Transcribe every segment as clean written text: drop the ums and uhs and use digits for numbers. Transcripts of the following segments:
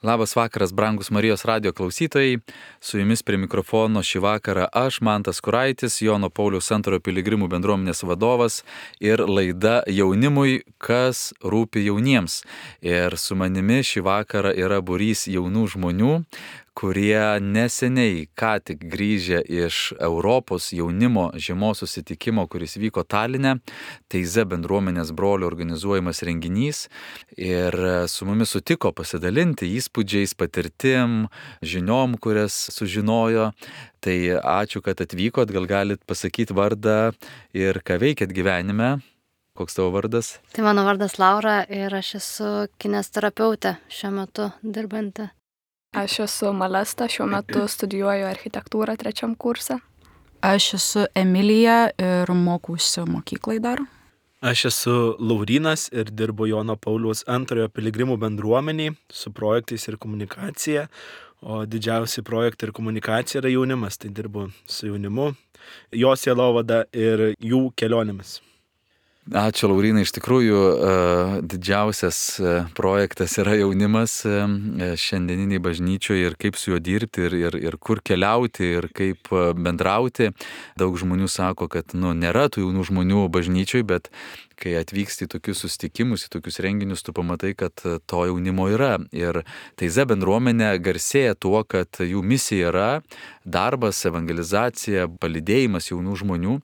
Labas vakaras, brangus Marijos radijo klausytojai. Su jumis prie mikrofono šį vakarą aš, Mantas Kuraitis, Jono Pauliaus II piligrimų bendruomenės vadovas ir laida jaunimui, kas rūpi jauniems. Ir su manimi šį vakarą yra būrys jaunų žmonių, kurie neseniai ką tik grįžę iš Europos jaunimo žiemos susitikimo, kuris vyko Taline, Teize bendruomenės brolių organizuojamas renginys. Ir su mumis sutiko pasidalinti įspūdžiais, patirtim, žiniom, kurias sužinojo. Tai ačiū, kad atvykot, gal galit pasakyti vardą ir ką veikėt gyvenime. Koks tavo vardas? Tai mano vardas Laura ir aš esu kinesterapeutė šiuo metu dirbanti. Aš esu Malesta, šiuo metu studijuoju architektūrą 3 kurse. Aš esu Emilija ir mokausi mokyklai dar. Aš esu Laurynas ir dirbu Jono Pauliaus II piligrimų bendruomeniai su projektais ir komunikacija, o didžiausi projektai ir komunikacija yra jaunimas, tai dirbu su jaunimu, jo sielovada ir jų kelionėmis. Ačiū, Laurynai, iš tikrųjų didžiausias projektas yra jaunimas šiandieniniai bažnyčioje ir kaip su juo dirbti ir kur keliauti ir kaip bendrauti. Daug žmonių sako, kad nėra tų jaunų žmonių bažnyčioje, bet kai atvyksti į tokius susitikimus, į tokius renginius, tu pamatai, kad to jaunimo yra. Ir Teize bendruomenė garsėja tuo, kad jų misija yra darbas, evangelizacija, palydėjimas jaunų žmonių.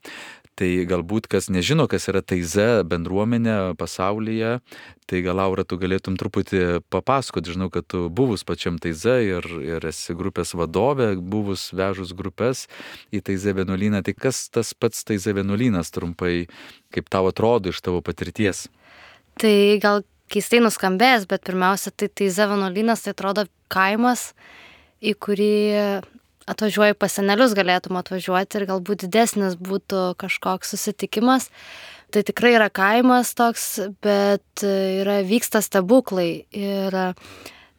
Tai galbūt kas nežino, kas yra Teize bendruomenė pasaulyje, tai gal Laura, tu galėtum truputį papasakoti. Žinau, kad tu buvus pačiam Teize ir esi grupės vadovė, buvus vežus grupės į Teize vienuolyną. Tai kas tas pats Teize vienuolynas trumpai, kaip tau atrodo iš tavo patirties? Tai gal keistai nuskambės, bet pirmiausia, tai Teize vienuolynas tai atrodo kaimas, į kurį atvažiuoji pas senelius, galėtum atvažiuoti ir galbūt didesnis būtų kažkoks susitikimas. Tai tikrai yra kaimas toks, bet vyksta stebuklai. Ir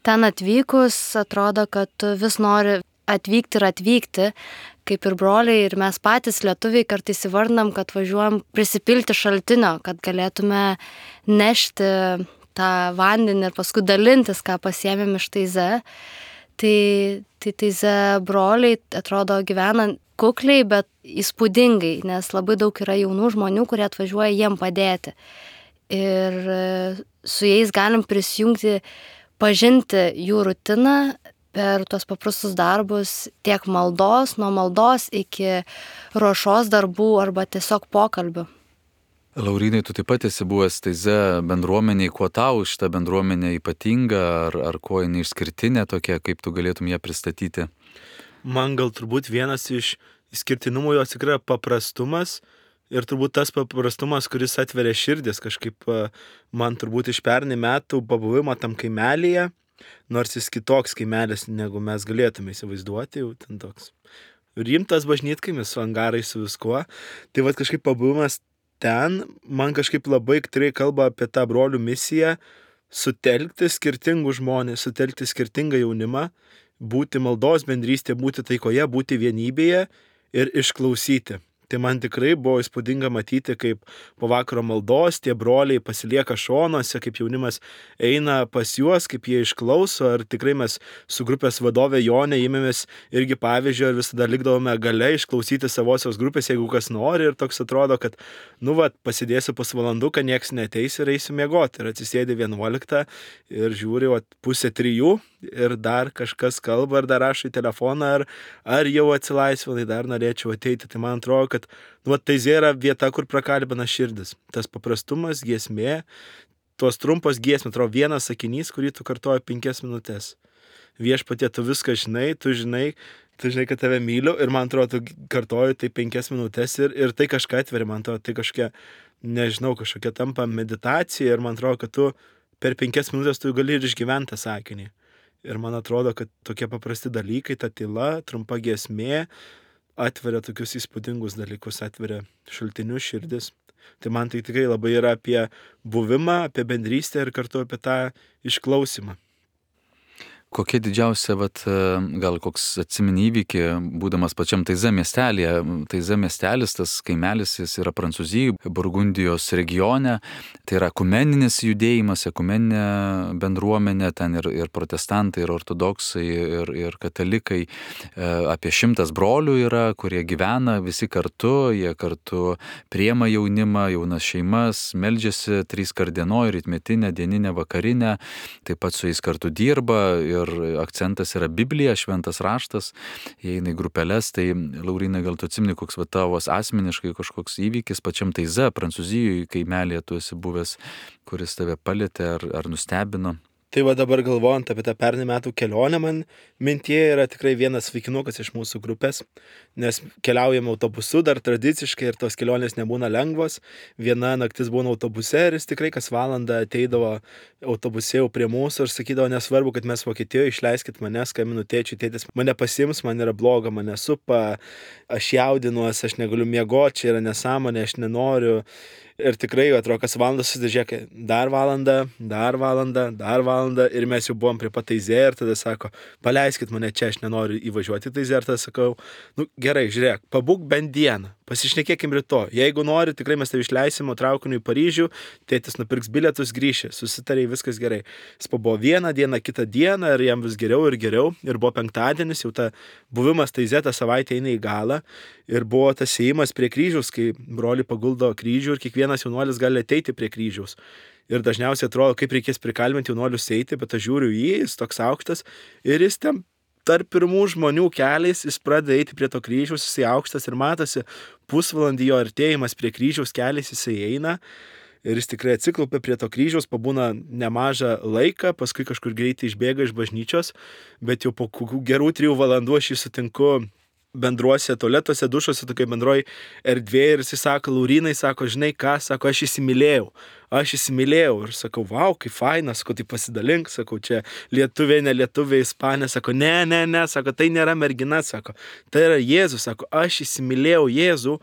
ten atvykus atrodo, kad tu vis nori atvykti, kaip ir broliai, ir mes patys lietuviai kartais įvardinam, kad važiuojam prisipilti šaltinio, kad galėtume nešti tą vandenį ir paskui dalintis, ką pasiėmėm iš Teize. Tai Teize broliai atrodo gyvena kukliai, bet įspūdingai, nes labai daug yra jaunų žmonių, kurie atvažiuoja jiem padėti. Ir su jais galim prisijungti, pažinti jų rutiną per tuos paprastus darbus, tiek maldos, nuo maldos iki ruošos darbų arba tiesiog pokalbių. Laurynai, tu taip pat esi buvęs Teize bendruomeniai, kuo tau šita bendruomenė ypatinga, ar kuo jinai išskirtinė tokia, kaip tu galėtum ją pristatyti? Man gal turbūt vienas iš išskirtinumų jos tikrai paprastumas ir turbūt tas paprastumas, kuris atveria širdis, kažkaip man turbūt iš pernai metų pabuvimo tam kaimelyje, nors jis kitoks kaimelis, negu mes galėtume įsivaizduoti, jau ten toks rimtas bažnytkaimis su angarais, su viskuo, tai kažkaip pabuvimas ten man kažkaip labai tikrai kalba apie tą brolių misiją sutelkti skirtingus žmonės, sutelkti skirtingą jaunimą, būti maldos bendrystėje, būti taikoje, būti vienybėje ir išklausyti. Tai man tikrai buvo įspūdinga matyti, kaip po vakaro maldos tie broliai pasilieka šonuose, kaip jaunimas eina pas juos, kaip jie išklauso. Ir tikrai mes su grupės vadovė Jonė ėmėmės irgi pavyzdžio ir visada likdavome gale išklausyti savosios grupės, jeigu kas nori. Ir toks atrodo, kad pasidėsiu pusvalanduką, nieks neteis ir eisiu miegoti. Ir atsisėdi 11 ir žiūri 2:30 ir dar kažkas kalba, ar dar rašo į telefoną, ar jau atsilaisvinai, dar norėčiau ateiti. Tai man atrodo, kad Teize yra vieta, kur prakalbina širdis. Tas paprastumas, giesmė, tos trumpos giesmės, atrodo vienas sakinys, kurį tu kartoji 5 minutės. Viešpatie, tu viską žinai, tu žinai, kad tave myliu ir man atrodo, tu kartoji tai 5 minutės ir tai kažką atveria, man atrodo, tai kažkokia tampa meditacija ir man atrodo, kad tu per 5 minutės tu gali ir išgyventi tą sakinį. Ir man atrodo, kad tokie paprasti dalykai, ta tyla, trumpa giesmė atveria tokius įspūdingus dalykus, atveria šaltinius širdis. Tai man tai tikrai labai yra apie buvimą, apie bendrystę ir kartu apie tą išklausimą. Kokia didžiausia, gal koks atsimeni įvykį, būdamas pačiam Taize miestelėje. Taize miestelis, tas kaimelis, jis yra Prancūzijoje, Burgundijos regione. Tai yra ekumeninis judėjimas, ekumeninė bendruomenė, ten ir protestantai, ir ortodoksai, ir katalikai. Apie 100 brolių yra, kurie gyvena visi kartu, jie kartu priema jaunimą, jaunas šeimas, meldžiasi 3 kart dienoj, rytmetinę, dieninę, vakarinę, taip pat su jais kartu dirba. Ir akcentas yra Biblija, šventas raštas, jie eina į grupeles. Tai Laurynai, gal tu atsimeni, koks tavo asmeniškai kažkoks įvykis pačiam Taize, Prancūzijoje, kaimelėje tu esi buvęs, kuris tave palietė ar nustebino? Tai va dabar galvojant apie tą pernai metų kelionę, man mintyje yra tikrai vienas vaikinukas iš mūsų grupės, nes keliaujame autobusu dar tradiciškai ir tos kelionės nebūna lengvos. Viena naktis būna autobuse ir jis tikrai kas valandą ateidavo autobuse jau prie mūsų ir sakydavo, nesvarbu, kad mes Vokietijoje, išleiskit mane, skambinu tėčiui, tėtis mane pasiims, man yra bloga, mane supa, aš jaudinuos, aš negaliu miegoti, čia yra nesąmonė, aš nenoriu. Ir tikrai, atrodo, kas valandą susižiūrėkė, dar valandą ir mes jau buvom prie pat Taize ir tada sako, paleiskit mane čia, aš nenoriu įvažiuoti Taize ir tada sakau, gerai, žiūrėk, pabūk bent dieną, pasišnekėkim rytoj, jeigu nori, tikrai mes tave išleisim traukiniu į Paryžių, tėtis nupirks bilietus, grįši, susitariai, viskas gerai. Jis pabuvo vieną dieną, kitą dieną ir jam vis geriau ir buvo penktadienis, jau ta buvimas Taize tą savaitę eina į galą ir buvo tas ėjimas prie kryžiaus, kai broliai paguldo kryžių ir kiekvienas jaunuolis gali ateiti prie kryžiaus. Ir dažniausiai atrodo, kaip reikės prikalbinti jaunuolius eiti, bet aš žiūriu jis toks aukštas ir jis ten tarp pirmų žmonių keliais, jis pradeda eiti prie to kryžiaus, jisai aukštas ir matosi pusvalandį jo artėjimas prie kryžiaus keliais, jisai eina ir jis tikrai atsiklaupia prie to kryžiaus, pabūna nemažą laiką, paskui kažkur greitai išbėga iš bažnyčios, bet jau po gerų 3 valandų aš jį sutinku bendruose tualetuose, dušuose, tokia bendroji erdvė ir jis sako, Laurynai, sako, žinai ką, sako, aš įsimylėjau ir sakau, vau, kaip faina, sako, tai pasidalink, sakau, čia lietuviai, ne lietuviai, ispanė, sako, ne, sako, tai nėra mergina, sako, tai yra Jėzus, sako, aš įsimylėjau Jėzų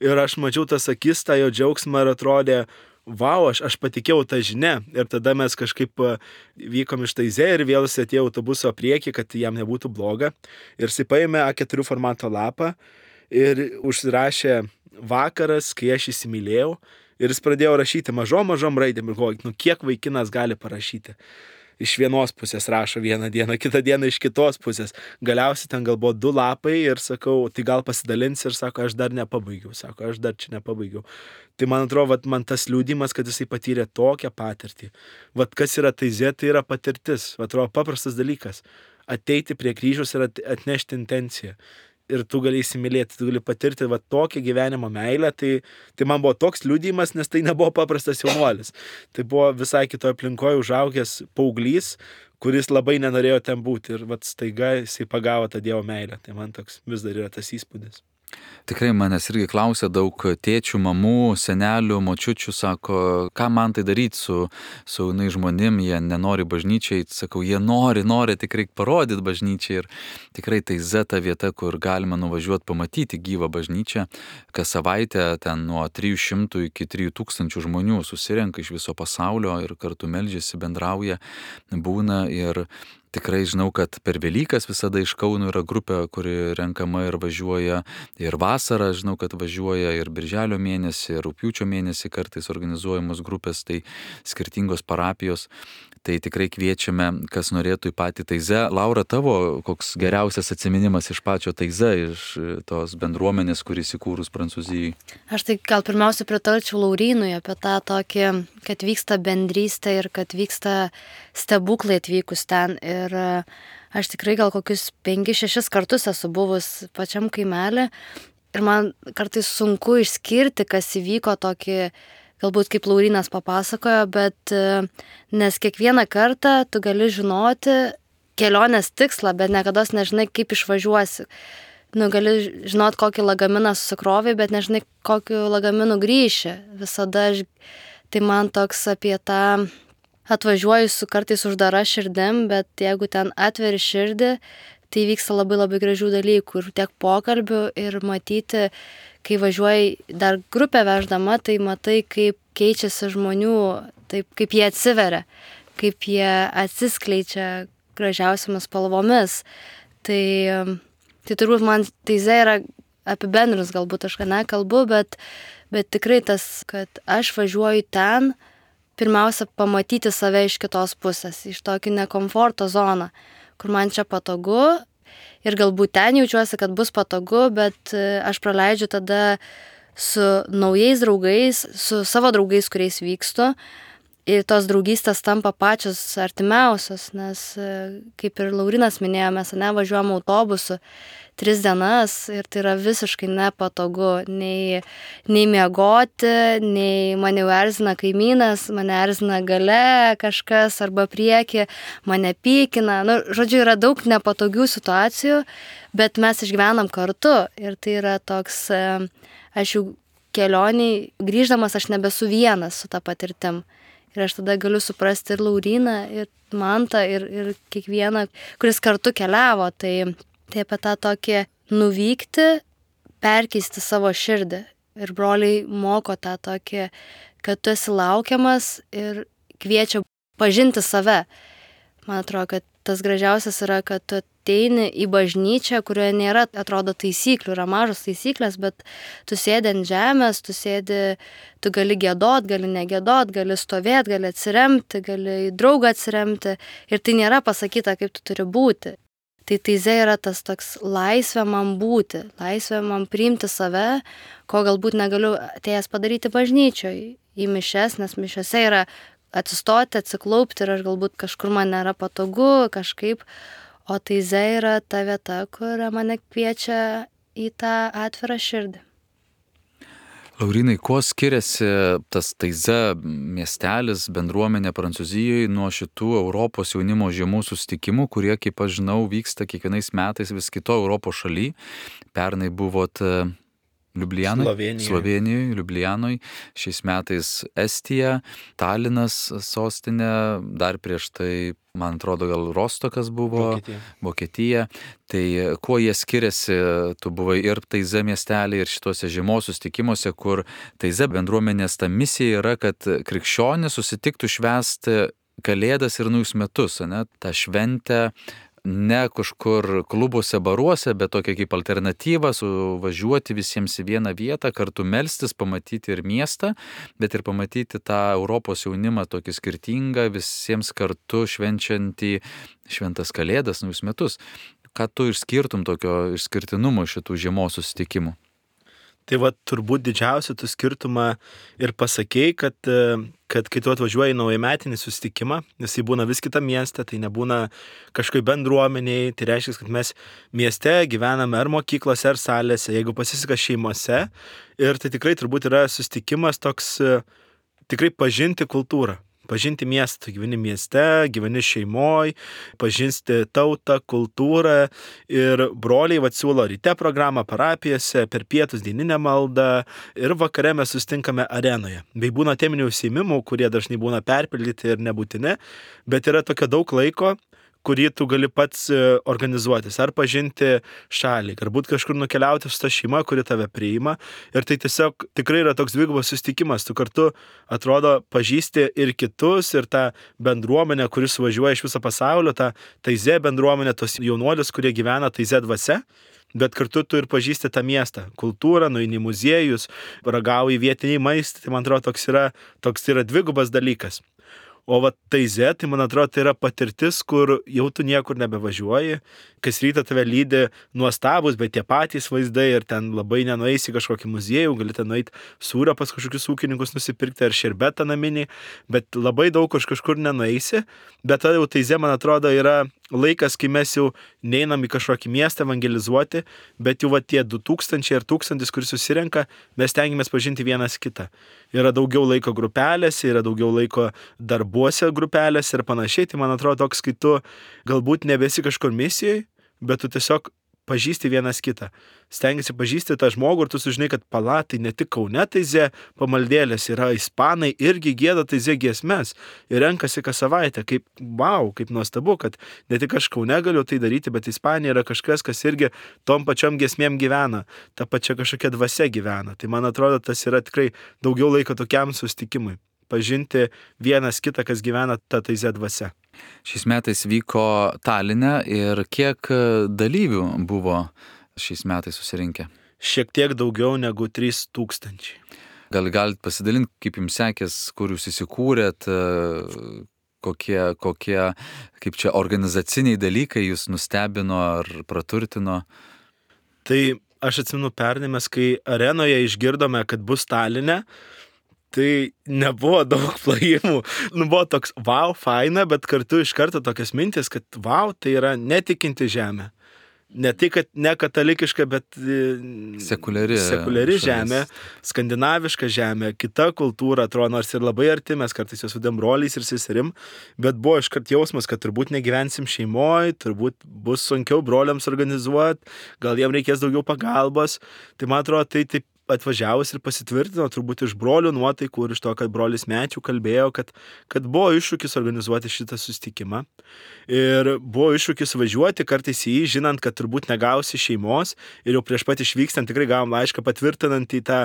ir aš mačiau tas akis, tą jo džiaugsmą ir atrodė, vau, aš patikėjau tą žinią ir tada mes kažkaip vykom iš Taize ir vėl jis atėjo autobuso priekį, kad jam nebūtų bloga ir jis paėmė A4 formato lapą ir užsirašė vakaras, kai aš įsimylėjau ir jis pradėjo rašyti mažom raidėm ir galvoju, kiek vaikinas gali parašyti. Iš vienos pusės rašo vieną dieną, kitą dieną iš kitos pusės. Galiausiai ten gal buvo 2 lapai ir sakau, tai gal pasidalinsi ir sako, aš dar nepabaigiau, aš dar čia nepabaigiau. Tai man atrodo, man tas liūdimas, kad jisai patyrė tokią patirtį. Kas yra Taize, tai yra patirtis. Atrodo, paprastas dalykas. Ateiti prie kryžiaus ir atnešti intenciją. Ir tu gali įsimylėti, tu gali patirti tokią gyvenimo meilę, tai man buvo toks liudijimas, nes tai nebuvo paprastas jaunuolis. Tai buvo visai kitoje aplinkoje užaugęs paauglys, kuris labai nenorėjo ten būti ir staiga jisai pagavo tą Dievo meilę. Tai man toks vis dar yra tas įspūdis. Tikrai manęs irgi klausia daug tėčių, mamų, senelių, močiučių, sako, ką man tai daryti su jaunai žmonėm, jie nenori bažnyčiai, sakau, jie nori, tik reikia parodyti bažnyčiai ir tikrai Taize ta vieta, kur galima nuvažiuoti pamatyti gyvą bažnyčią, kas savaitę ten nuo 300 iki 3000 žmonių susirenka iš viso pasaulio ir kartu meldžiasi, bendrauja, būna ir tikrai žinau, kad per Velykas visada iš Kauno yra grupė, kuri renkama ir važiuoja ir vasarą, žinau, kad važiuoja ir birželio mėnesį, ir rugpjūčio mėnesį kartais organizuojamos grupės, tai skirtingos parapijos. Tai tikrai kviečiame, kas norėtų į patį Taize. Laura, tavo koks geriausias atsiminimas iš pačio Taize, iš tos bendruomenės, kuris įkūrus Prancūzijai? Aš tai gal pirmiausia pritarčiau Laurynui apie tą tokį, kad vyksta bendrystė ir kad vyksta stebuklai atvykus ten. Ir aš tikrai gal kokius 5-6 kartus esu buvus pačiam kaimelį ir man kartais sunku išskirti, kas įvyko tokį, galbūt kaip Laurynas papasakojo, bet nes kiekvieną kartą tu gali žinoti kelionės tikslą, bet niekada nežinai, kaip išvažiuosi. Gali žinot, kokį lagaminą susikrovai, bet nežinai, kokiu lagaminu grįši. Visada tai man toks apie tą atvažiuoju su kartais uždara širdim, bet jeigu ten atveri širdį, tai vyksta labai gražių dalykų ir tiek pokalbių ir matyti, kai važiuoji dar grupę veždama, tai matai, kaip keičiasi žmonių, taip kaip jie atsiveria, kaip jie atsiskleidžia, gražiausiamis spalvomis. Tai turbūt man taize yra apibendrinus, galbūt aš nekalbu, bet tikrai tas, kad aš važiuoju ten, pirmiausia, pamatyti save iš kitos pusės, iš tokį nekomforto zoną, kur man čia patogu ir galbūt ten jaučiuosi, kad bus patogu, bet aš praleidžiu tada su naujais draugais, su savo draugais, kuriais vykstu. Ir tos draugystės tampa pačios artimiausios, nes kaip ir Laurinas minėjo, mes važiuojam autobusu 3 dienas ir tai yra visiškai nepatogu nei miegoti, nei mane erzina kaimynas, mane erzina gale kažkas arba prieki, mane pykina. Žodžiu, yra daug nepatogių situacijų, bet mes išgyvenam kartu ir tai yra toks, aš jau kelioniai, grįždamas aš nebesu vienas su ta patirtim. Ir aš tada galiu suprasti ir Lauryną, ir Mantą, ir kiekvieną, kuris kartu keliavo. Tai apie tą tokį nuvykti, perkeisti savo širdį. Ir broliai moko tą tokį, kad tu esi laukiamas ir kviečia pažinti save. Man atrodo, kad tas gražiausias yra, kad tu ateini į bažnyčią, kurioje nėra, atrodo, taisyklių, yra mažos taisyklės, bet tu sėdi ant žemės, tu gali giedot, gali negedot, gali stovėti, gali atsiremti, gali į draugą atsiremti ir tai nėra pasakyta, kaip tu turi būti. Tai taize yra tas toks laisvė man būti, laisvė man priimti save, ko galbūt negaliu atėjęs padaryti bažnyčioje į mišias, nes mišiose yra atsistoti, atsiklaupti ir aš galbūt kažkur man nėra patogu kažkaip, o taize yra ta vieta, kur mane kviečia į tą atvirą širdį. Laurynai, kuo skiriasi tas taize miestelis, bendruomenė Prancūzijoje nuo šitų Europos jaunimo žiemų susitikimų, kurie, kaip aš žinau, vyksta kiekvienais metais vis kito Europos šaly? Pernai buvot Slovėnijoje, Liublianoje, šiais metais Estija, Talinas sostinė, dar prieš tai, man atrodo, gal Rostokas buvo, Vokietija. Tai kuo jie skiriasi, tu buvai ir taize miestelį, ir šituose žiemos susitikimuose, kur taize bendruomenės ta misija yra, kad krikščionys susitiktų švęsti Kalėdas ir Naujus metus, ne? Ta šventė ne kažkur klubuose, baruose, bet tokia kaip alternatyva, suvažiuoti visiems į vieną vietą, kartu melstis, pamatyti ir miestą, bet ir pamatyti tą Europos jaunimą tokį skirtingą, visiems kartu švenčiantį šventas Kalėdas, Naujus metus. Ką tu išskirtum tokio išskirtinumo šitų žiemos susitikimų? Tai va, turbūt didžiausią tu skirtumą ir pasakėjai, kad kai tu atvažiuoji į naujametinį susitikimą, nes jį būna vis kitą miestą, tai nebūna kažkaip bendruomeniai, tai reiškia, kad mes mieste gyvename ar mokyklose, ar salėse, jeigu pasiseka šeimose, ir tai tikrai turbūt yra susitikimas toks tikrai pažinti kultūrą. Pažinti miestą, tu gyveni mieste, gyveni šeimoj, pažinsti tautą, kultūrą ir broliai siūlo ryte programą parapijose, per pietus dieninę maldą ir vakare mes sustinkame arenoje. Bei būna teminių užsiėmimų, kurie dažnai būna perpildyti ir nebūtini, bet yra tokio daug laiko, kurį tu gali pats organizuotis, ar pažinti šalį, galbūt kažkur nukeliauti su ta šeima, kuri tave priima. Ir tai tiesiog tikrai yra toks dvigubas susitikimas. Tu kartu, atrodo, pažįsti ir kitus, ir tą bendruomenę, kuris važiuoja iš viso pasaulio, tą taize bendruomenę, tos jaunuolius, kurie gyvena taize dvasia. Bet kartu tu ir pažįsti tą miestą, kultūrą, nueini į muziejus, ragauji vietiniai maistą. Tai man atrodo, toks yra dvigubas dalykas. O va taize, tai man atrodo, tai yra patirtis, kur jau tu niekur nebevažiuoji, kas rytą tave lydi nuostabus, bet tie patys vaizdai ir ten labai nenueisi į kažkokį muziejų, gali ten nueiti sūrio pas kažkokius ūkininkus nusipirkti ar šerbetą naminį, bet labai daug kažkur nenueisi, bet tada jau taize, man atrodo, yra laikas, kai mes jau neinam į kažkokį miestą evangelizuoti, bet jau va tie 2000 ir 1000, kuris susirenka, mes tengiamės pažinti vienas kitą. Yra daugiau laiko grupelėse, yra daugiau laiko darbuose grupelėse ir panašiai. Tai man atrodo toks, kai tu galbūt nebesi kažkur misijoje, bet tu tiesiog pažįsti vienas kitą. Stengiasi pažįsti tą žmogų ir tu sužinai, kad tai ne tik Kaune taize pamaldėlės, yra ispanai irgi gieda taize giesmes ir renkasi kas savaitę. Kaip nuostabu, kad ne tik aš Kaune galiu tai daryti, bet Ispanija yra kažkas, kas irgi tom pačiom giesmėm gyvena, ta pačia kažkokia dvasia gyvena. Tai man atrodo, tas yra tikrai daugiau laiko tokiam susitikimui. Pažinti vienas kitą, kas gyvena ta taize dvasia. Šiais metais vyko Taline ir kiek dalyvių buvo šiais metais susirinkę? Šiek tiek daugiau negu 3000. Gal galit pasidalinti, kaip jums sekės, kur jūs įsikūrėt, kokie, kaip čia organizaciniai dalykai jūs nustebino ar praturtino? Tai aš atsimenu pernai mes, kai arenoje išgirdome, kad bus Taline, tai nebuvo daug plojimų. Buvo toks, wow, faina, bet kartu iš karto tokias mintis, kad wow, tai yra netikinti žemė. Ne tai, kad ne katalikiška, bet sekuliari žemė, skandinaviška žemė, kita kultūra, atrodo, nors ir labai arti, mes kartais jos vadinam broliais ir seserim, bet buvo iškart jausmas, kad turbūt negyvensim šeimoje, turbūt bus sunkiau broliams organizuoti, gal jiem reikės daugiau pagalbos. Tai man atrodo, tai taip atvažiavus ir pasitvirtino turbūt iš brolių nuotaikų ir iš to, kad brolis Mečių kalbėjo, kad buvo iššūkis organizuoti šitą susitikimą. Ir buvo iššūkis važiuoti kartais į jį, žinant, kad turbūt negausi šeimos. Ir jau prieš pat išvykstant tikrai gavom laišką patvirtinant į tą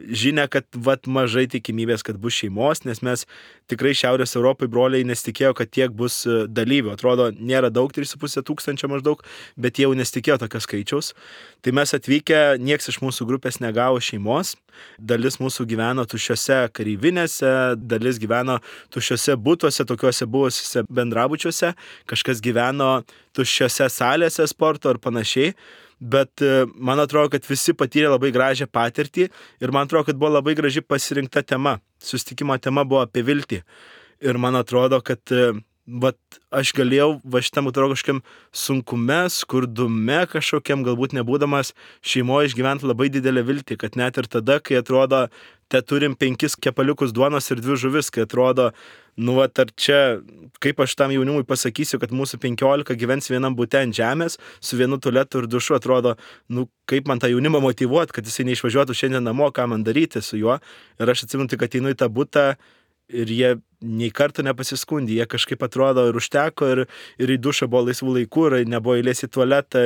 žinia, kad mažai tikimybės, kad bus šeimos, nes mes tikrai Šiaurės Europai broliai nesitikėjo, kad tiek bus dalyvių. Atrodo, nėra daug, 3,5 tūkstančio maždaug, bet jie jau nesitikėjo tokio skaičiaus. Tai mes atvykę, nieks iš mūsų grupės negavo šeimos. Dalis mūsų gyveno tuščiose kareivinėse, dalis gyveno tuščiose butuose, tokiuose buvusiuose bendrabučiuose, kažkas gyveno tuščiose salėse sporto ir panašiai. Bet man atrodo, kad visi patyrė labai gražią patirtį ir man atrodo, kad buvo labai graži pasirinkta tema. Susitikimo tema buvo apie viltį. Ir man atrodo, kad aš galėjau šitam atrodo kažkokiam sunkume, skurdume kažkokiam, galbūt nebūdamas šeimoje išgyventi labai didelę viltį, kad net ir tada, kai atrodo, te turim 5 kepaliukus duonos ir 2 žuvis, kai atrodo, ar čia, kaip aš tam jaunimui pasakysiu, kad mūsų 15 gyvens vienam bute ant žemės, su vienu tualetu ir dušu, atrodo, kaip man tą jaunimą motyvuoti, kad jisai neišvažiuotų šiandien namo, ką man daryti su juo. Ir aš atsimenu, kad einu į tą butą ir jie nei kartą nepasiskundė, jie kažkaip atrodo ir užteko, ir į dušą buvo laisvų laikų, ir nebuvo eilės į tualetą,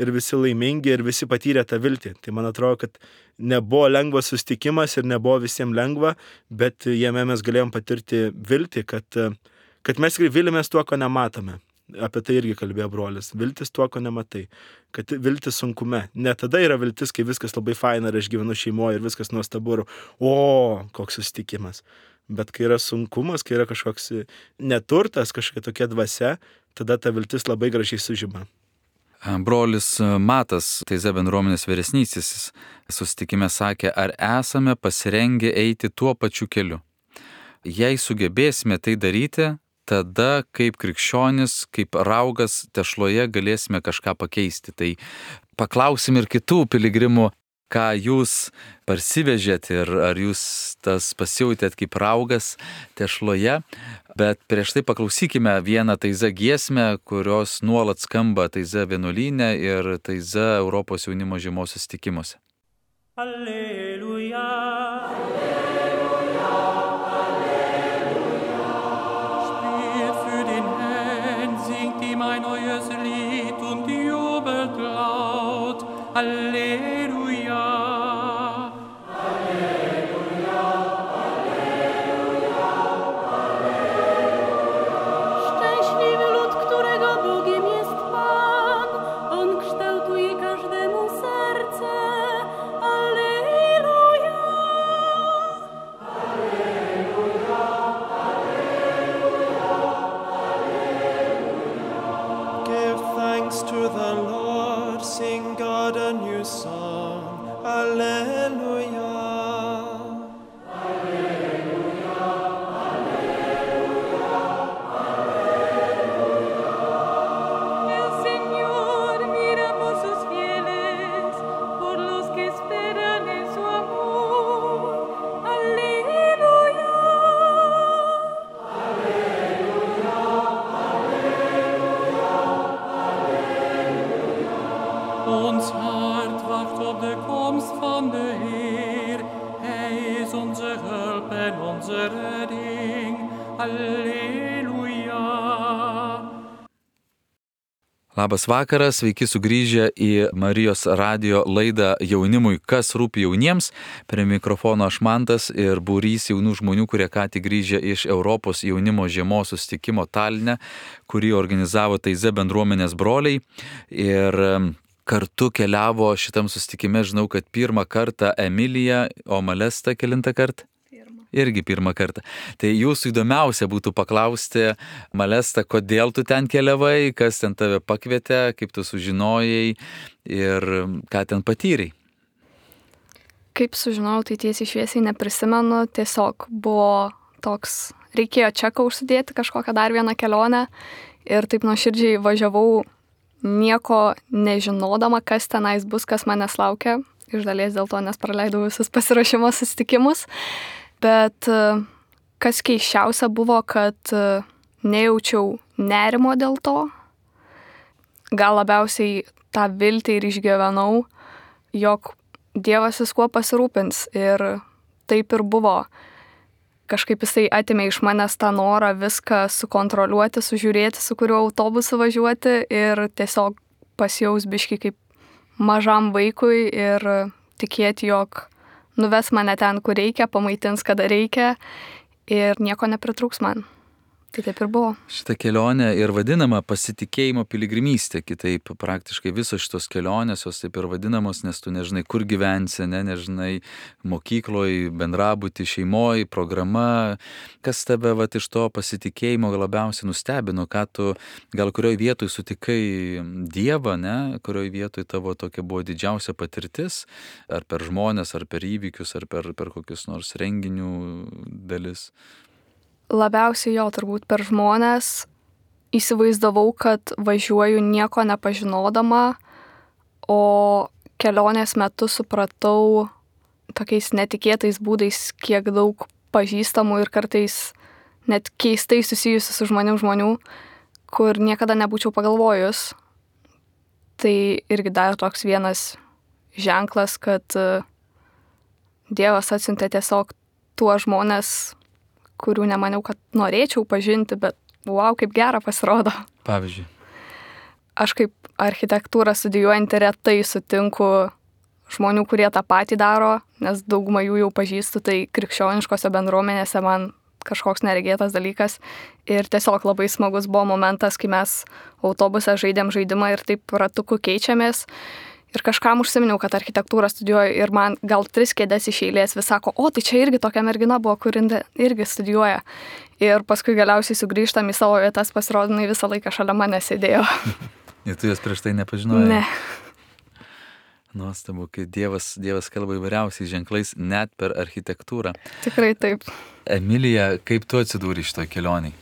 ir visi laimingi, ir visi patyrė tą viltį. Tai man atrodo, kad nebuvo lengvas susitikimas ir nebuvo visiems lengva, bet jame mes galėjom patirti viltį, kad mes tikrai vilimės tuo, ko nematome. Apie tai irgi kalbėjo brolis. Viltis tuo, ko nematai. Kad viltis sunkume. Ne tada yra viltis, kai viskas labai faina ir aš gyvenu šeimoje ir viskas nuostabu ir koks susitikimas. Bet kai yra sunkumas, kai yra kažkoks neturtas, kažkokia tokia dvasia, tada ta viltis labai gražiai sužyma. Brolis Matas, Taize bendruomenės vyresnysis, susitikime sakė, ar esame pasirengę eiti tuo pačiu keliu. Jei sugebėsime tai daryti, tada kaip krikščionis, kaip raugas tešloje galėsime kažką pakeisti. Tai paklausim ir kitų piligrimų, ką jūs parsivežėt ir ar jūs tas pasijautėt kaip raugas tešloje. Bet prieš tai paklausykime vieną Taize giesmę, kurios nuolat skamba Taize vienuolyne ir Taize Europos jaunimo žiemos susitikimuose. Alleluja. Ein neues Lied und jubelt laut. Halleluja. Halleluja, Halleluja, Halleluja. Szczęśliwy lud, którego Bogiem jest Pan. On kształtuje każdemu serce. Halleluja. Halleluja, Thanks to the Lord, sing God a new song. Alleluia. Alleluia, Alleluia, Alleluia. El Señor mira por sus fieles, por los que esperan en su amor. Alleluia. Alleluia, Ons hart wacht op de komst van de Heer. Hij is onze hulp en onze redding. Halleluja. Labas vakaras, sveiki sugrįžę į Marijos radijo laidą jaunimui, kas rūpi jauniems. Prie mikrofono aš Mantas ir būrys jaunų žmonių, kurie ką tik grįžę iš Europos jaunimo žiemos susitikimo Taline, kurį organizavo Taize bendruomenės broliai. Ir kartu keliavo šitam susitikime, žinau, kad pirmą kartą Emilija, o Malesta kelintą kartą? Irgi pirmą kartą. Tai jūsų įdomiausia būtų paklausti, Malesta, kodėl tu ten keliavai, kas ten tave pakvietė, kaip tu sužinojai ir ką ten patyrei. Kaip sužinojau, tai tiesiai šviesiai neprisimenu, tiesiog buvo toks, reikėjo čeką užsidėti kažkokią dar vieną kelionę ir taip nuoširdžiai važiavau nieko nežinodama, kas tenais bus, kas manęs laukia, iš dalies dėl to, nes praleidau visus pasiruošimo susitikimus. Bet kas keisčiausia buvo, kad nejaučiau nerimo dėl to. Gal labiausiai tą viltį ir išgyvenau, jog Dievas viskuo pasirūpins. Ir taip ir buvo. Kažkaip jisai atėmė iš manęs tą norą viską sukontroliuoti, sužiūrėti, su kuriuo autobusu važiuoti ir tiesiog pasijaus biškį kaip mažam vaikui ir tikėti, jog nuves mane ten, kur reikia, pamaitins, kada reikia ir nieko nepritrūks man. Tai taip ir buvo. Šitą kelionę ir vadinama pasitikėjimo piligrimystė, kitaip praktiškai visos šitos kelionės, jos taip ir vadinamos, nes tu nežinai, kur gyvensi, nežinai mokykloje, bendrabuty, šeimoje, programa. Kas tave iš to pasitikėjimo labiausiai nustebino, ką tu gal kurioje vietoje sutikai Dievą, kurioje vietoje tavo tokia buvo didžiausia patirtis, ar per žmonės, ar per įvykius, ar per kokius nors renginių dalis. Labiausiai jo turbūt per žmonės įsivaizdavau, kad važiuoju nieko nepažinodama, o kelionės metu supratau tokiais netikėtais būdais, kiek daug pažįstamų ir kartais net keistai susijusių su žmonių, kur niekada nebūčiau pagalvojus. Tai irgi dar toks vienas ženklas, kad Dievas atsiuntė tiesiog tuos žmonės, kurių nemaniau, kad norėčiau pažinti, bet wow, kaip gera pasirodo. Pavyzdžiui. Aš kaip architektūrą studijuojantį retai sutinku žmonių, kurie tą patį daro, nes daugumą jų jau pažįstu, tai krikščioniškose bendruomenėse man kažkoks neregėtas dalykas. Ir tiesiog labai smagus buvo momentas, kai mes autobuse žaidėm žaidimą ir taip ratuku keičiamės. Ir kažkam užsiminiau, kad architektūrą studijuoju ir man gal 3 kėdes iš eilės vis sako, o tai čia irgi tokia mergina buvo, kur irgi studijuoja. Ir paskui galiausiai sugrįžtam į savo vietas, pasirodinai visą laiką šalia mane sėdėjo. Ir tu jas prieš tai nepažinojai? Ne. Nuostabu, kai Dievas kalba įvairiausiais ženklais net per architektūrą. Tikrai taip. Emilija, kaip tu atsidūrei šitoj kelioniai?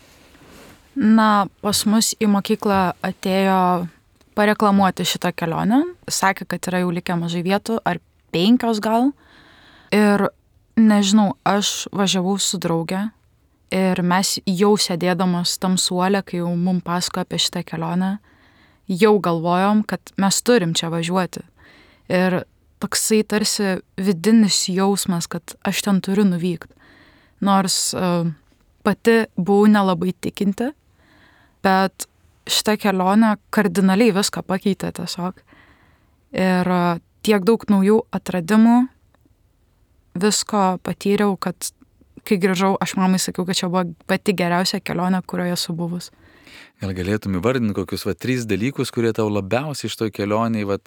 Na, pas mus į mokyklą atėjo pareklamuoti šitą kelionę. Sakė, kad yra jau likę mažai vietų, ar 5 gal. Ir nežinau, aš važiavau su drauge ir mes jau sėdėdamos tam suole, kai jau mums pasakojo apie šitą kelionę, jau galvojom, kad mes turim čia važiuoti. Ir toksai tarsi vidinis jausmas, kad aš ten turiu nuvykti. Nors pati buvau nelabai tikinti, bet šitą kelionę kardinaliai viską pakeitė tiesiog. Ir tiek daug naujų atradimų, visko patyriau, kad kai grįžau, aš mamai sakiau, kad čia buvo pati geriausia kelionė, kurioje esu buvus. Gal galėtum įvardinti kokius 3 dalykus, kurie tau labiausiai iš to kelionėje,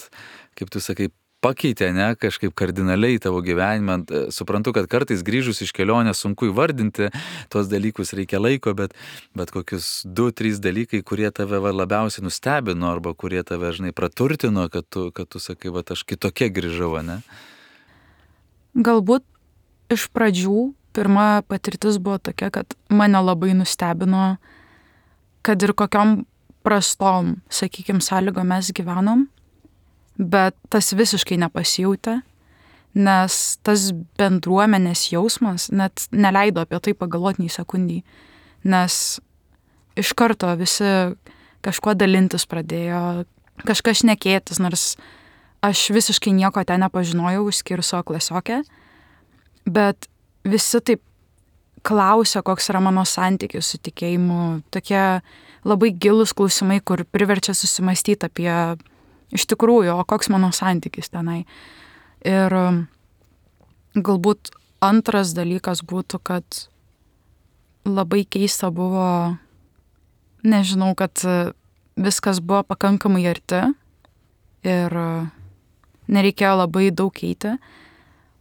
kaip tu sakai, pakeitė, kažkaip kardinaliai tavo gyvenimą. Suprantu, kad kartais grįžus iš kelionės sunku įvardinti tuos dalykus, reikia laiko, bet kokius 2-3 dalykai, kurie tave labiausiai nustebino arba kurie tave, praturtino, kad tu sakai, aš kitokia grįžau, ne? Galbūt iš pradžių pirma patirtis buvo tokia, kad mane labai nustebino, kad ir kokiom prastom, sakykim, sąlygom mes gyvenom, bet tas visiškai nepasijautė, nes tas bendruomenės jausmas net neleido apie tai pagalvoti nei sekundį, nes iš karto visi kažkuo dalintis pradėjo, kažkas šnekėtis, nors aš visiškai nieko ten nepažinojau, išskyrus savo klasiokę, bet visi taip klausia, koks yra mano santykis su tikėjimu, tokie labai gilus klausimai, kur priverčia susimastyti apie iš tikrųjų, o koks mano santykis tenai. Ir galbūt antras dalykas būtų, kad labai keista buvo, nežinau, kad viskas buvo pakankamai arti ir nereikėjo labai daug eiti.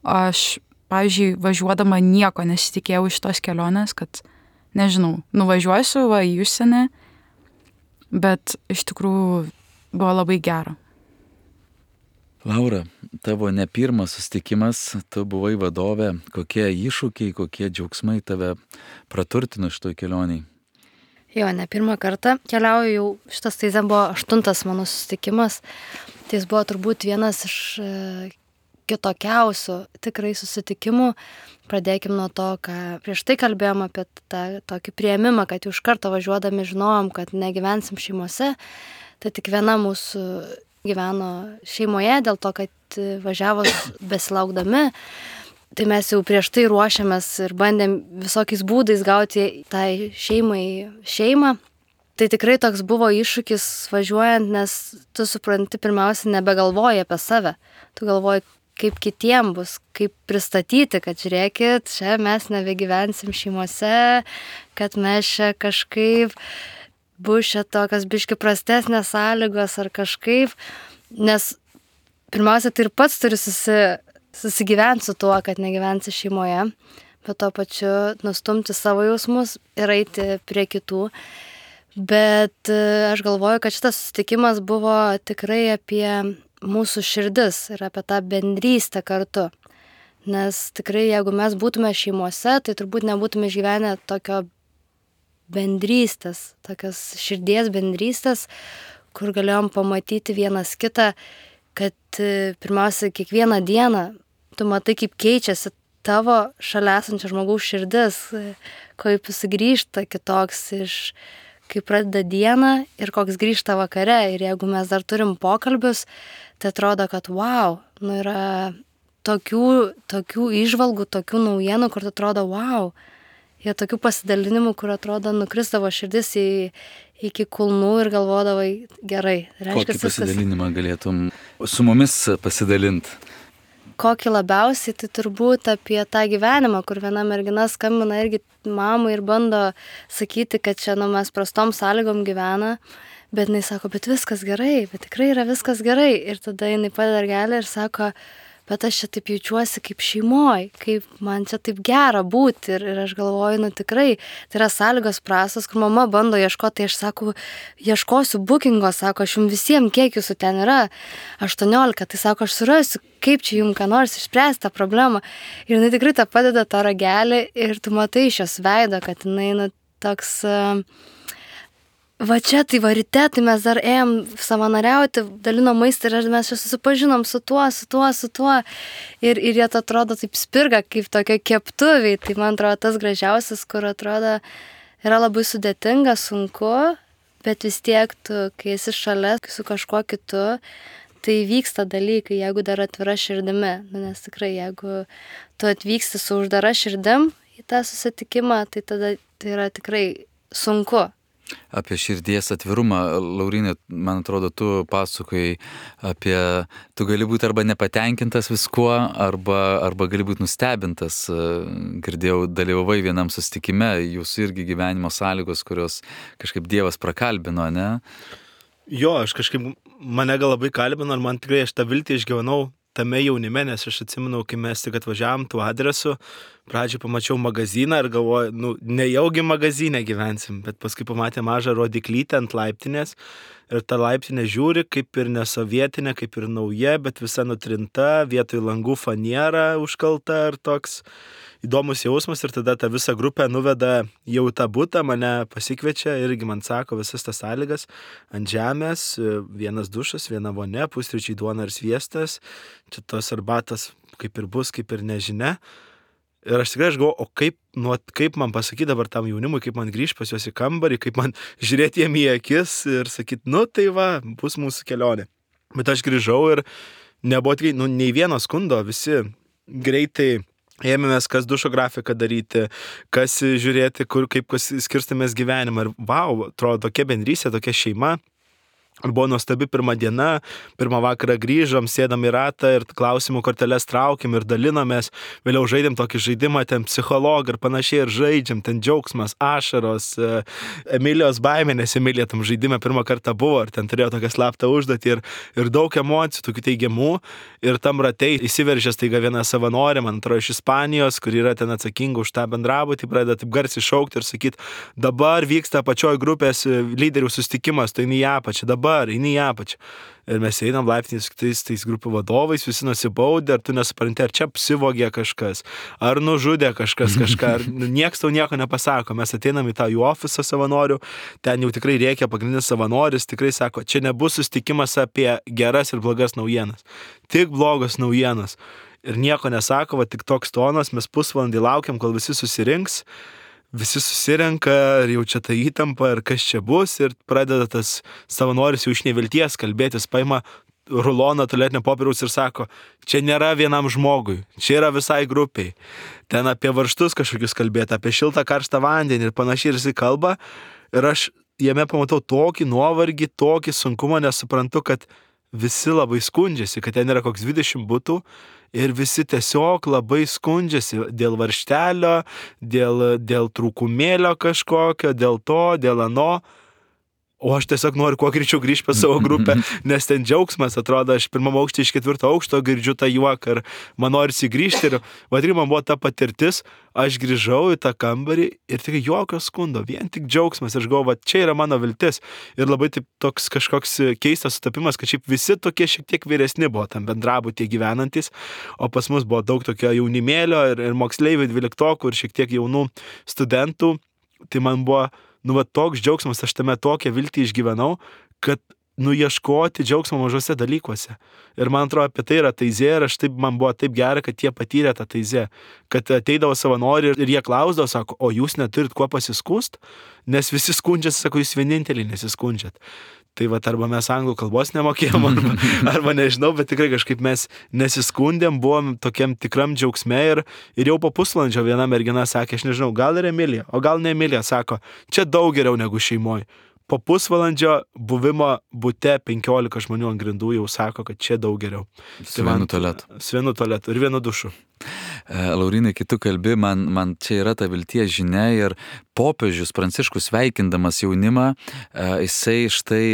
Aš, pavyzdžiui, važiuodama nieko nesitikėjau iš tos kelionės, kad, nežinau, nuvažiuosiu į užsienį, bet iš tikrųjų buvo labai gera. Laura, tavo ne pirmas susitikimas, tu buvai vadovė, kokie iššūkiai, kokie džiaugsmai tave praturtino šitoj kelioniai? Jo, ne pirmą kartą keliauju, jau šitas tai buvo 8 mano susitikimas, tai jis buvo turbūt vienas iš kitokiausių tikrai susitikimų. Pradėkim nuo to, ką prieš tai kalbėjom apie tą tokį priėmimą, kad jau iš karto važiuodami žinojom, kad negyvensim šeimose, tai tik viena mūsų gyveno šeimoje, dėl to, kad važiavo besilaukdami. Tai mes jau prieš tai ruošiamės ir bandėm visokiais būdais gauti tai šeimą. Tai tikrai toks buvo iššūkis važiuojant, nes tu supranti, pirmiausia, nebegalvoji apie save. Tu galvoji, kaip kitiem bus, kaip pristatyti, kad žiūrėkit, čia mes nebegyvensim šeimose, kad mes čia kažkaip bus čia tokios biški prastesnės sąlygos ar kažkaip, nes pirmiausia, tai ir pats turi susigyventi su tuo, kad negyvensi šeimoje, bet to pačiu nustumti savo jausmus ir eiti prie kitų. Bet aš galvoju, kad šitas susitikimas buvo tikrai apie mūsų širdis ir apie tą bendrystę kartu. Nes tikrai, jeigu mes būtume šeimose, tai turbūt nebūtume išgyvenę tokio bendrystės, tokios širdies bendrystės, kur galėjom pamatyti vienas kitą, kad pirmiausia, kiekvieną dieną tu matai, kaip keičiasi tavo šalia esančio žmogaus širdis, kaip jis grįžta kitoks kai pradeda dieną ir koks grįžta vakare. Ir jeigu mes dar turim pokalbius, tai atrodo, kad wow, yra tokių įžvalgų, tokių naujienų, kur atrodo wow. Jie tokių pasidalinimų, kur atrodo nukrisdavo širdis iki kulnų ir galvodavai, gerai. Kokį pasidalinimą galėtum su mumis pasidalinti? Kokį labiausiai, tai turbūt apie tą gyvenimą, kur viena mergina skambina irgi mamai ir bando sakyti, kad čia mes prastom sąlygom gyvena, bet jinai sako, bet viskas gerai, bet tikrai yra viskas gerai. Ir tada jinai padeda ragelį ir sako, bet aš čia taip jaučiuosi kaip šeimoj, kaip man čia taip gera būti. Ir aš galvoju, tikrai, tai yra sąlygos prastos, kur mama bando ieškoti, tai aš sako, ieškosiu bookingo, sako, aš jums visiems, kiek jūsų ten yra, 18, tai sako, aš surasiu, kaip čia jums ką nors išspręsti tą problemą. Ir jinai tikrai tą padeda tą ragelį ir tu matai iš jos veido, kad jinai toks... Va čia, tai ryte, tai mes dar ėjom savanoriauti, dalino maistą ir mes čia susipažinom su tuo. Ir jie atrodo taip spirga, kaip tokia keptuviai. Tai man atrodo tas gražiausias, kur atrodo yra labai sudėtinga, sunku, bet vis tiek tu, kai esi šalia su kažkuo kitu, tai vyksta dalykai, jeigu dar atvira širdimi. Nes tikrai, jeigu tu atvyksti su uždara širdim į tą susitikimą, tai tada tai yra tikrai sunku. Apie širdies atvirumą, Lauryne, man atrodo, tu pasakojai apie, tu gali būti arba nepatenkintas viskuo, arba gali būti nustebintas. Girdėjau, dalyvavai vienam susitikime, jūsų irgi gyvenimo sąlygos, kurios kažkaip Dievas prakalbino, ne? Jo, aš kažkaip, mane gal labai kalbino ir man tikrai aš tą viltį išgyvenau tame jaunime, nes aš atsimenu, kai mes tik atvažiavom tuo adresu, pradžioj pamačiau magaziną ir galvoju, nejaugi magazinę gyvensim, bet paskui pamatė mažą rodiklytę ant laiptinės ir ta laiptinė žiūri kaip ir nesovietinė, kaip ir nauja, bet visa nutrinta, vietoj langų faniera užkalta ir toks įdomus jausmas. Ir tada ta visa grupė nuveda jau tą butą, mane pasikviečia irgi man sako visas tas sąlygas ant žemės, vienas dušas, viena vonia, pusryčiai duona ir sviestas, čia tos arbatos kaip ir bus, kaip ir nežinia. Ir aš tikrai galvoju, o kaip man pasakyti dabar tam jaunimui, kaip man grįžti pas juos į kambarį, kaip man žiūrėti jiem į akis ir sakyti, tai va, bus mūsų kelionė. Bet aš grįžau ir nebuvo tikrai, nei vieno skundo, visi greitai ėmėmės, kas dušo grafiką daryti, kas žiūrėti, kur, kaip skirstamės gyvenimą. Ir vau, atrodo, tokia bendrystė, tokia šeima. Buvo nuostabi pirma diena, pirmą vakarą grįžom, sėdam į ratą ir klausimų korteles traukiam ir dalinomės, vėliau žaidėm tokį žaidimą, ten psichologą ir panašiai ir žaidžiam, ten džiaugsmas, ašaros, Emilijos baimė, nes Emilija tam žaidime pirmą kartą buvo ir ten turėjo tokią slaptą užduotį ir daug emocijų, tokių teigiamų ir tam ratei įsiveržęs taiga viena savanorė, man atrodo, iš Ispanijos, kur yra ten atsakinga už tą bendrabutį, pradeda taip garsiai šaukti ir sakyti, dabar vyksta pačioj grupės lyderių susitikimas, tai į apačią, dabar į apačią. Ir mes einam laiptiniais tais grupių vadovais, visi nusibaudė, ar tu nesupranti, ar čia apsivogė kažkas, ar nužudė kažkas kažką, ar nieks tau nieko nepasako. Mes ateinam į tą jų ofisą savanorių, ten jau tikrai reikia pagrindinis savanoris, tikrai sako, čia nebus susitikimas apie geras ir blogas naujienas, tik blogos naujienas. Ir nieko nesako, va tik toks tonas, mes pusvalandį laukiam, kol visi susirinks. Visi susirenka ir jau čia ta įtampa ir kas čia bus ir pradeda tas savanoris jau iš nevilties kalbėtis, paima ruloną tualetinio popieriaus ir sako, čia nėra vienam žmogui, čia yra visai grupiai. Ten apie varžtus kažkokius kalbėti, apie šiltą karštą vandenį ir panašiai ir jis kalba ir aš jame pamatau tokį nuovargį, tokį sunkumą, nes suprantu, kad visi labai skundžiasi, kad ten yra koks 20 butų ir visi tiesiog labai skundžiasi dėl varžtelio, dėl trūkumėlio kažkokio, dėl to, dėl ano. O aš tiesiog noriu kuo greičiau grįžti pas savo grupę, nes ten džiaugsmas, atrodo, aš pirmam aukštį iš 4 aukšto girdžiu tą juoką ir man norisi grįžti ir vadinai, man buvo ta patirtis, aš grįžau į tą kambarį ir tik jokio skundo, vien tik džiaugsmas, aš galvoju, čia yra mano viltis ir labai taip toks kažkoks keistas sutapimas, kad šiaip visi tokie šiek tiek vyresni buvo tam bendrabutyje gyvenantis, o pas mus buvo daug tokio jaunimėlio ir moksleivių 12 ir šiek tiek jaunų studentų, tai man buvo toks džiaugsmas, aš tame tokią viltį išgyvenau, kad ieškoti džiaugsmo mažose dalykuose. Ir man atrodo, apie tai yra taizė ir man buvo taip gera, kad jie patyrė tą taizė. Kad ateidavo savanoriai ir jie klausdavo, sako, o jūs neturit kuo pasiskust? Nes visi skundžiasi, sako, jūs vieninteliai nesiskundžiat. Tai arba mes anglų kalbos nemokėjom, arba nežinau, bet tikrai kažkaip mes nesiskundėm, buvom tokiam tikram džiaugsme ir jau po pusvalandžio viena mergina sakė, aš nežinau, gal ir Emilija, o gal ne Emilija, sako, čia daug geriau negu šeimoje. Po pusvalandžio buvimo bute 15 žmonių ant grindų jau sako, kad čia daug geriau. Su vienu tualetu. Su vienu tualetu ir vienu dušu. Laurinai, kai tu kalbi, man čia yra ta vilties žinia ir popiežius Pranciškus sveikindamas jaunimą, jisai štai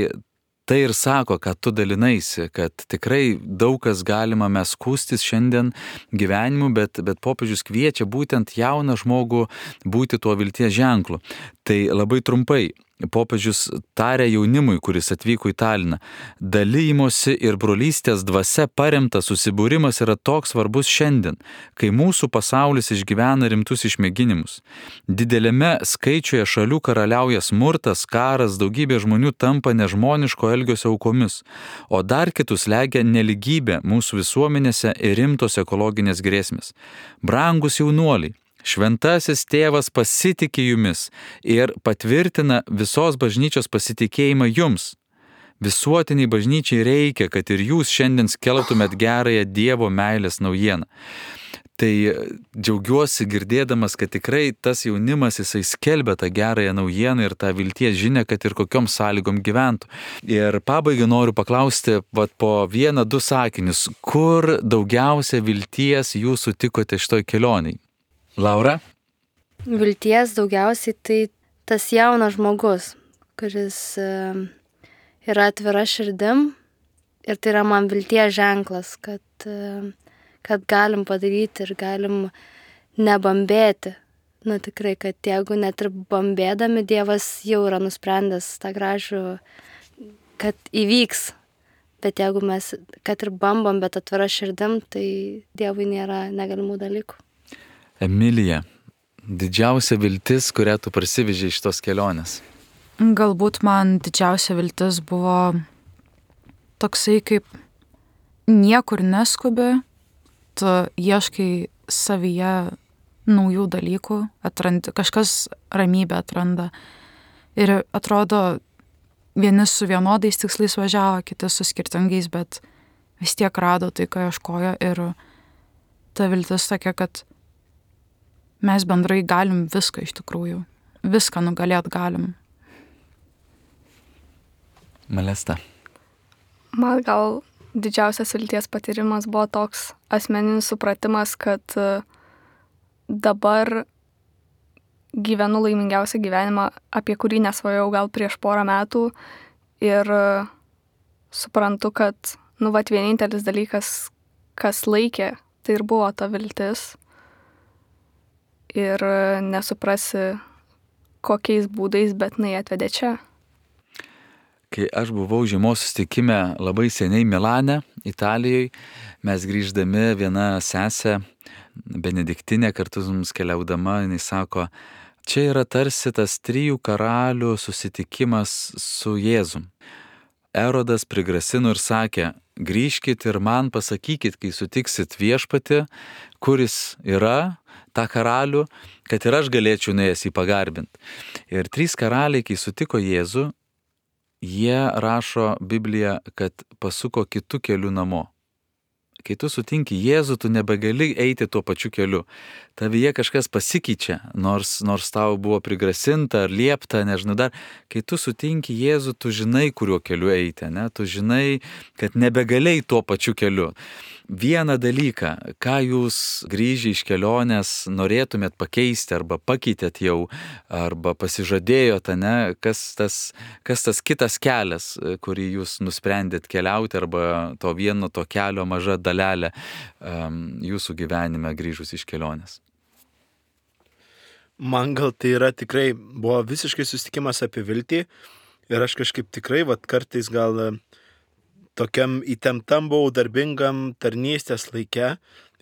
tai ir sako, kad tu dalinaisi, kad tikrai daug kas galima mes skūstis šiandien gyvenimu, bet popiežius kviečia būtent jauną žmogų būti tuo vilties ženklu. Tai labai trumpai. Popiežius tarė jaunimui, kuris atvyko į Taliną, dalymosi ir brolystės dvasia paremtas susibūrimas yra toks svarbus šiandien, kai mūsų pasaulis išgyvena rimtus išmėginimus. Didelėme skaičiuje šalių karaliauja smurtas, karas, daugybė žmonių tampa nežmoniško elgesio aukomis, o dar kitus slegia neligybė mūsų visuomenėse ir rimtos ekologinės grėsmės. Brangus jaunuoliai, Šventasis tėvas pasitikė jumis ir patvirtina visos bažnyčios pasitikėjimą jums. Visuotiniai bažnyčiai reikia, kad ir jūs šiandien skelbtumėt gerąją Dievo meilės naujieną. Tai džiaugiuosi girdėdamas, kad tikrai tas jaunimas jisai skelbia tą gerąją naujieną ir tą vilties žinią, kad ir kokiom sąlygom gyventų. Ir pabaigai noriu paklausti po 1-2 sakinius, kur daugiausia vilties jūs sutikote šitoj kelioniai? Laura? Vilties daugiausiai tai tas jaunas žmogus, kuris yra atvira širdim ir tai yra man vilties ženklas, kad galim padaryti ir galim nebambėti. Tikrai, kad jeigu net ir bambėdami, Dievas jau yra nusprendęs tą gražų, kad įvyks. Bet jeigu mes, kad ir bambam, bet atvira širdim, tai Dievui nėra negalimų dalykų. Emilija, didžiausia viltis, kurią tu parsivežei iš tos kelionės? Galbūt man didžiausia viltis buvo toksai, kaip niekur neskubi, tu ieškai savyje naujų dalykų, kažkas ramybę atranda. Ir atrodo, vieni su vienodais tikslais važiavo, kiti su skirtingais, bet vis tiek rado tai, ką ieškojo. Ir ta viltis tokia, kad mes bendrai galim viską iš tikrųjų. Viską nugalėt galim. Malesta. Man gal didžiausias vilties patyrimas buvo toks asmeninis supratimas, kad dabar gyvenu laimingiausią gyvenimą, apie kurį nesvajojau gal prieš porą metų ir suprantu, kad vienintelis dalykas, kas laikė, tai ir buvo ta viltis ir nesuprasi kokiais būdais, bet jinai atvedė čia. Kai aš buvau žiemos susitikime labai seniai Milane, Italijoje, mes grįždami viena sesė, Benediktinė kartu mums keliaudama, jinai sako, čia yra tarsi tas 3 karalių susitikimas su Jėzum. Erodas prigrasino ir sakė, grįžkit ir man pasakykit, kai sutiksit viešpatį, kuris yra tą karalių, kad ir aš galėčiau nuėjęs jį pagarbinti. Ir 3 karaliai, kai sutiko Jėzų, jie rašo Bibliją, kad pasuko kitų kelių namo. Kai tu sutinki Jėzų, tu nebegali eiti tuo pačiu keliu. Tavyje kažkas pasikeičia, nors tau buvo prigrasinta ar liepta, nežinau dar. Kai tu sutinki Jėzų, tu žinai, kuriuo keliu eiti, ne? Tu žinai, kad nebegali tuo pačiu keliu. Vieną dalyką, ką jūs grįžę iš kelionės norėtumėt pakeisti arba pakeitėt jau, arba pasižadėjot, ne? Kas tas kitas kelias, kurį jūs nusprendėt keliauti, arba to vieno to kelio maža dalelė jūsų gyvenime grįžus iš kelionės? Man gal tai yra tikrai, buvo visiškai susitikimas apie viltį ir aš kažkaip tikrai, kartais gal tokiam įtemptam buvau darbingam tarnystės laike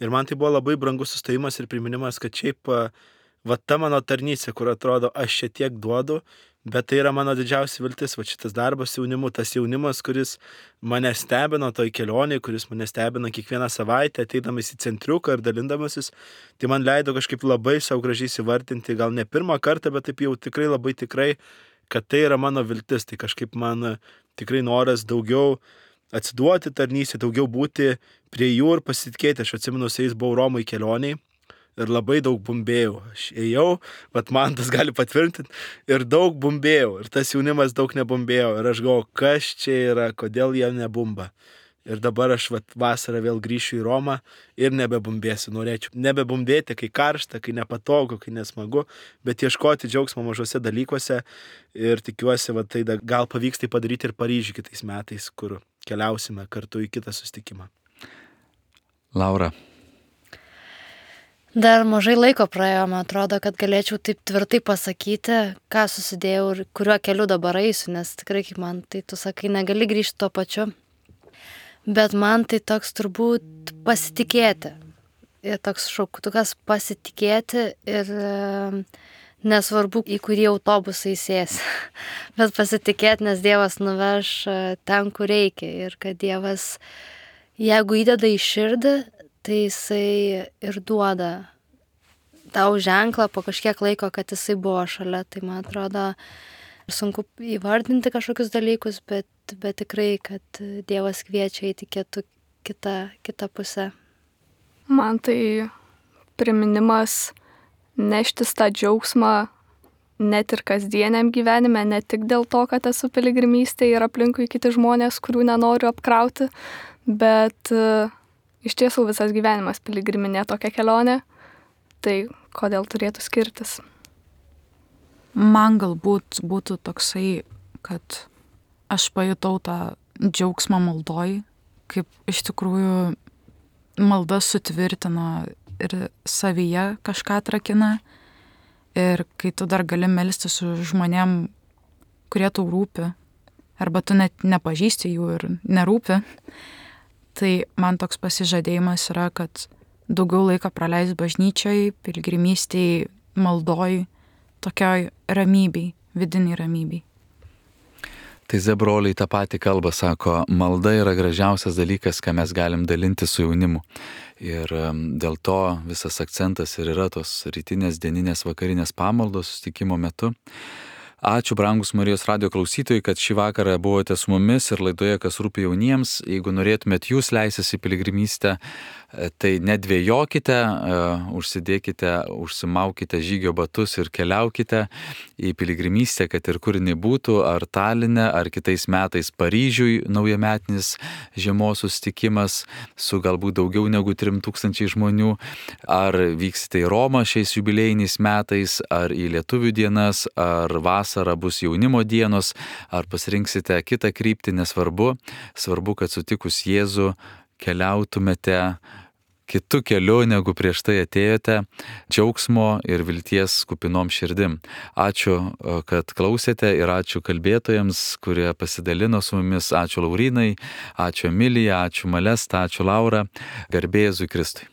ir man tai buvo labai brangus sustojimas ir priminimas, kad šiaip ta mano tarnystė, kur atrodo aš čia tiek duodu, bet tai yra mano didžiausia viltis, šitas darbas jaunimu, tas jaunimas, kuris mane stebino toj kelionėje, kuris mane stebino kiekvieną savaitę, ateidamas į centriuką ir dalindamasis, tai man leido kažkaip labai savo gražiai įvardinti, gal ne pirmą kartą, bet taip jau tikrai labai tikrai, kad tai yra mano viltis, tai kažkaip man tikrai noras daugiau atsiduoti tarnystę, daugiau būti prie jų ir pasitikėti. Aš atsimenu, su jais buvau Romoj kelioniai ir labai daug bumbėjau. Aš ėjau, man tas gali patvirtinti, ir daug bumbėjau. Ir tas jaunimas daug nebumbėjo. Ir aš galvoju, kas čia yra, kodėl jie nebumba. Ir dabar aš vasarą vėl grįšiu į Romą ir nebebumbėsiu. Norėčiau nebebumbėti, kai karšta, kai nepatogu, kai nesmagu, bet ieškoti džiaugsmo mažose dalykuose. Ir tikiuosi, tai gal pavyks tai padaryti ir Paryžiuje kitais metais, kur keliausime kartu į kitą susitikimą. Laura. Dar mažai laiko praėjo, man atrodo, kad galėčiau taip tvirtai pasakyti, ką susidėjau ir kuriuo keliu dabar eisiu, nes tikrai, kaip man, tai tu sakai, negali grįžti tuo pačiu. Bet man tai toks turbūt pasitikėti. Ir toks šauktukas pasitikėti ir nesvarbu, į kurį autobusą įsės. Bet pasitikėti, nes Dievas nuveš ten, kur reikia. Ir kad Dievas, jeigu įdeda į širdį, tai jisai ir duoda tau ženklą po kažkiek laiko, kad jisai buvo šalia. Tai man atrodo, sunku įvardinti kažkokius dalykus, bet tikrai, kad Dievas kviečia eiti kitą pusę. Man tai priminimas neštis tą džiaugsmą net ir kasdieniam gyvenime, ne tik dėl to, kad esu piligrimystėje ir aplinkui kiti žmonės, kurių nenoriu apkrauti, bet iš tiesų visas gyvenimas piligriminė tokia kelionė, tai kodėl turėtų skirtis? Man galbūt būtų toksai, kad aš pajutau tą džiaugsmą maldoj, kaip iš tikrųjų malda sutvirtina ir savyje kažką atrakina. Ir kai tu dar gali melstis su žmonėm, kurie tau rūpi, arba tu net nepažįsti jų ir nerūpi, tai man toks pasižadėjimas yra, kad daugiau laiko praleis bažnyčioj, piligrimystėj, maldoj, tokioj ramybėj, vidiniai ramybėj. Tai broliai tą patį kalbą sako, malda yra gražiausias dalykas, ką mes galim dalinti su jaunimu. Ir dėl to visas akcentas ir yra tos rytinės, dieninės, vakarinės pamaldos susitikimo metu. Ačiū, brangus Marijos radijo klausytojai, kad šį vakarą buvote su mumis ir laidoje Kas rūpi jauniems. Jeigu norėtumėt jūs leistis į piligrimystę, tai nedvėjokite, užsimaukite žygio batus ir keliaukite į piligrimystę, kad ir kur jinai būtų, ar Taline, ar kitais metais Paryžiui naujametinis žiemos susitikimas su galbūt daugiau negu 3000 žmonių, ar vyksite į Romą šiais jubiliejiniais metais, ar į Lietuvių dienas, ar vasarą bus jaunimo dienos, ar pasirinksite kitą kryptį, nesvarbu. Svarbu, kad sutikus Jėzų keliautumėte kitu keliu, negu prieš tai atėjote, džiaugsmo ir vilties kupinom širdim. Ačiū, kad klausėte ir ačiū kalbėtojams, kurie pasidalino su mumis. Ačiū Laurinai, ačiū Emilija, ačiū Malesta, ačiū Laura. Garbė Jėzui Kristui.